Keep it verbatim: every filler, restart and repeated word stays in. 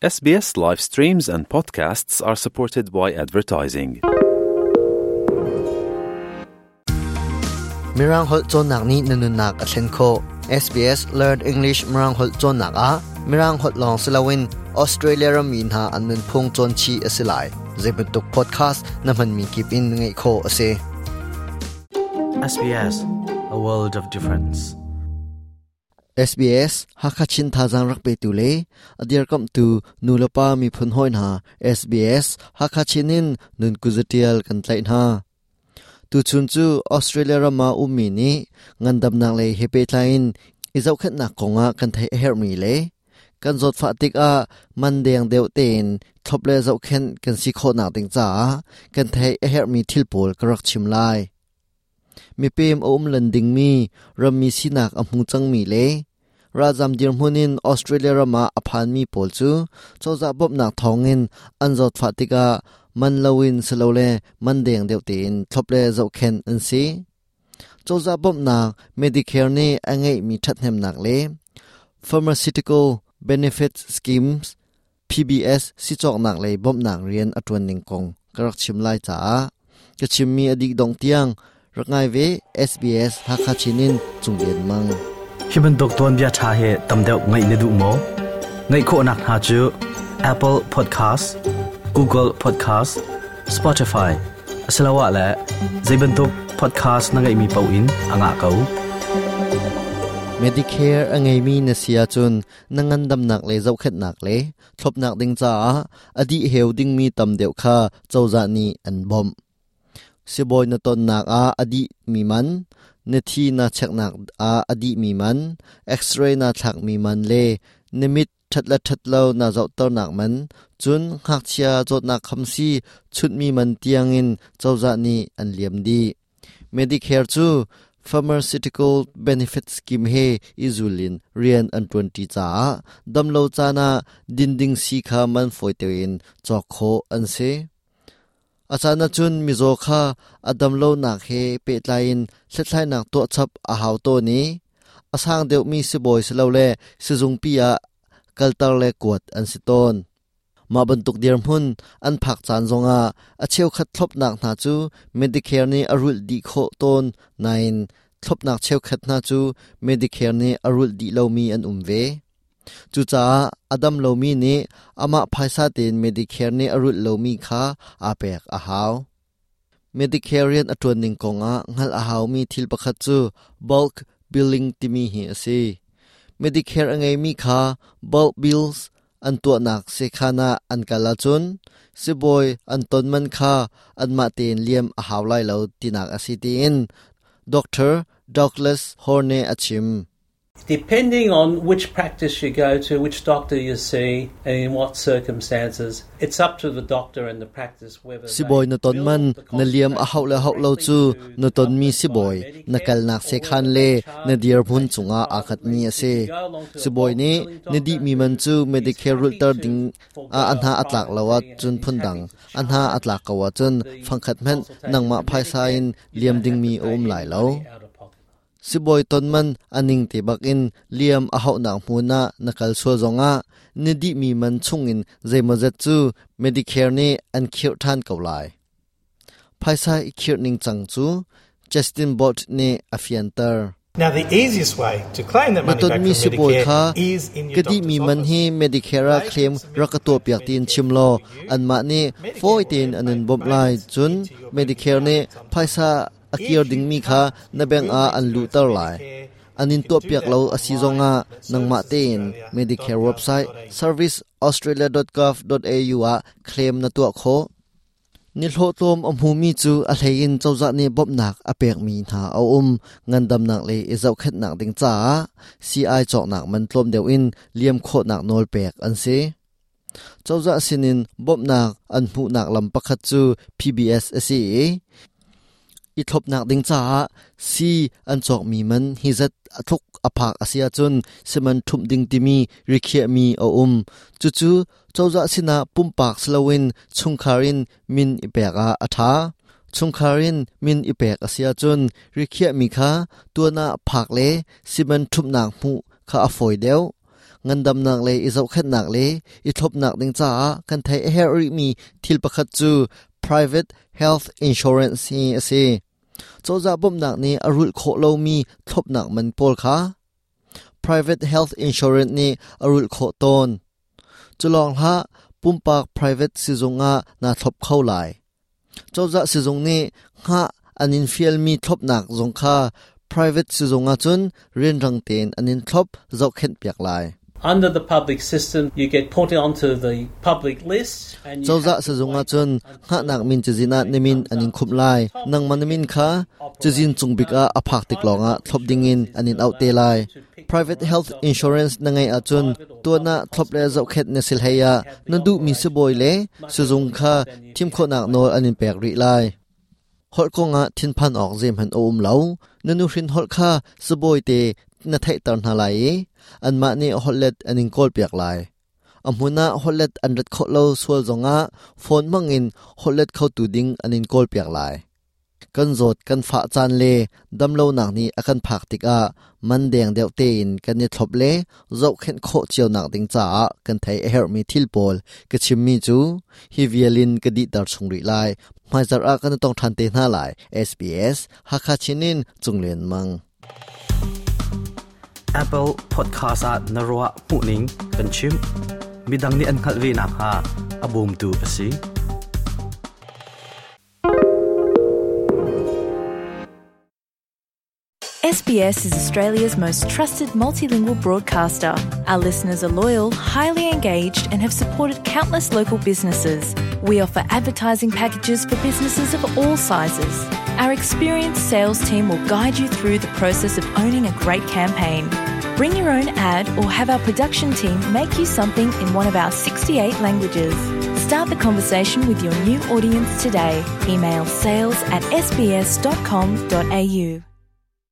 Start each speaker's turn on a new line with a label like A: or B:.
A: S B S live streams and podcasts are supported by advertising.
B: Mirang holh cawnnak nih na nunnak a thlen khawh. S B S Learn English Mirang holh cawnnak ah Mirang holh lawng si loin Australia rammi hna an nunphung cawn chih a si lai. Zeibantuk podcast na hmanmi kip in ngaih khawh a si.
C: S B S, a world of difference.
B: S B S Hakachin thazang rak pe tu le adir kam tu nulapa mi phun hoi na S B S Hakachin in nun kuzatial kan tlai na tu chun chu Australia rama ummi ni ngandam nak le hepe tlain izau khat nak konga kan thai her mi le kan zot fa tik a man deng deuh ten thlop le zau khen kan si kho nak ding cha kan thai her mi thil pol karak chim lai. Mi pem a um lan ding mi rammi sinak a hmu chang mi le rajam dir hmunin Australia rama aphan mi pol chu choza bop nak thongin an zot fa tika man lowin selole man deng deuh tin thlop le zau khen an si. Choza bop nak Medicare ni angai mi that hem nak le Pharmaceutical Benefits Schemes P B S si chok nak le bop nak rian atun ning kong karak chim lai cha ka chim mi adik dong tiang rangai ve. S B S Hakachinin Chunglen Mang.
C: Hi bantuk tuanbia tha he tamdeuh ngai ne du mo ngai kho nak ha chu Apple Podcast, Google Podcast, Spotify asalawa la zeibantuk podcast na ngai mi pau in anga kau.
B: Medicare angai mi na sia chun nangan dam nak le zau khat nak le thlop nak ding cha adi heu ding mi tam deuh kha chawza ni an bom siboi na ton nak a adi mi man na thi na chek nak a adi mi man, x-ray na thak mi man le nimit thatla thatlo na zau tor nak man chun khak chia chot nak khamsi chut mi man tiangin chawza ni an liam di. Medicare chu Pharmaceutical Benefit Scheme he izulin rian an twenty cha damlo chana dinding si kha man foitein chok kho an se. Achana chun mizo kha adam lo nak he pe tlain thlai nak to chap a haw to ni asang deuh mi si boy selo le sizung pi a kaltar le kuat an si ton ma bantuk dir hmun an phak chan zonga a cheu khat thlop nak na chu Medicare ni arul di kho ton nine thlop nak cheu khat na chu Medicare ni arul di lo mi an umve chu cha adam lo mi ni ama phaisa ten Medicare ni arul lo mi kha a pek a haw. Medicare rian atun ning konga ngal a haw mi thil pakhat chu bulk billing timi hi ase. Medicare angai mi kha bulk bills an tua nak se khana an kala chun siboi an ton man kha an ma ten liam a haw lai lo tinak asi tin Doctor Douglas Horne achim.
D: Depending on which practice you go to, which doctor you see, and in what circumstances, it's up to the doctor and the practice whether
B: Siboi na ton man na liam a haw le haw lo chu na ton mi siboi na kal nak se khan le na dir phun chunga akhat mi ase. Siboi ni na di mi man chu Medicare rul tar ding a anha atlak lawa chun phundang anha atlak kawa chun phangkhat men nangma phaisa in liam ding mi om lai lo. Siboi tonman aning te bakin liam a hau nak hmuna nakal sual zonga nidi mi man chungin zeimazet chu Medicare ni an khir than ko lai. Phaisa i khir ning chang chu Justin Bot ne afiantar.
E: Now, the easiest way to claim that money
B: Maton
E: back
B: mi
E: from
B: siboi
E: Medicare
B: kha
E: is in your
B: kadi
E: doctor's
B: mi man
E: office.
B: hi Medicare a claim rakato piak tin chimlo an ma ni foi tin anan bom lai chun Medicare ne phaisa akir ding mi kha na beng a an lu tar lai anin to piak lo asi zonga nangma ten Medicare website service australia dot gov dot A U a claim na to kho. Ni hlo tlom a hmu mi chu a hlein chawza ni bop nak a pek mi na a um ngandam nak le i zau khat nak ding cha ci chok nak man tlom deuh in liam kho nak nol pek an se. Chawza sinin bop nak an hmu nak lam pakhat chu P B S ase. I thlop nak ding cha si an chok mi man hi zat athuk aphak asia chun siman thum ding timi rikhia mi a um chu chu chawza sina pumpak slowin chungkharin min ipeka atha. Chungkharin min ipek asia chun rikhia mi kha tuana phak le siman thum nak mu kha afoi deu. Ngandamnak le i zohkhenhnak le i thlopnak ding caah kan theih a herh rihmi thil pakhat cu private health insurance hi a si. Cozah bawmhnak nih a rulh khawh lomi thlopnak man pawl kha private health insurance nih a rulh khawh tawn. Cu lawng hlah, pumpak private sizung ah naa thlop kho lai. Cozah sizung nih hngah an in fialmi thlopnak zong kha private sizung ah cun rianrang tein an in thlop zohkhenh piak lai.
D: Under the public system, you get put onto the public list and you
B: Cozah
D: have to
B: sizung ah
D: wait
B: cun hngahnak min cazin ah na min an in khumh lai. Nangmah na min kha cazin cung bik ah a phak tik lawngah thlop dingin an in auh te lai. Private health insurance na ngeih ahcun tuan ah thlop le zohkhenh na si hlei ah na duhmi sibawi le sizung kha thim khawhnak nawl an in pek rih lai. Holh kongah thinphan awk zeihmanh a um lo. Na nuhrin holh kha sibawi te na theihter hna lai i anmah nih holhlet an in kawlpiak lai. A hmun ah holhlet an rat khawh lo sual zongah phone hmangin holhlet khotu ding an in kawlpiak lai. Kan zawt kan fah caan le damlonak nih a kan phak tikah man deng deuh tein kan i thlop le zohkhenh khawh cionak ding caah kan theih a herhmi thil pawl ka chimmi cu hi vial in ka dihter chung rih lai. Hmaizarh ah kan i tong ṭhan te hna lai. S B S Hakha Chin in Cunglen Mang.
C: Apple Podcast ah na ruah hmuhning kan chim. Midang nih an hngalh ve nakhnga a bawmtu a si.
F: S B S is Australia's most trusted multilingual broadcaster. Our listeners are loyal, highly engaged, and have supported countless local businesses. We offer advertising packages for businesses of all sizes. Our experienced sales team will guide you through the process of owning a great campaign. Bring your own ad or have our production team make you something in one of our sixty-eight languages. Start the conversation with your new audience today. Email sales at S B S dot com dot A U.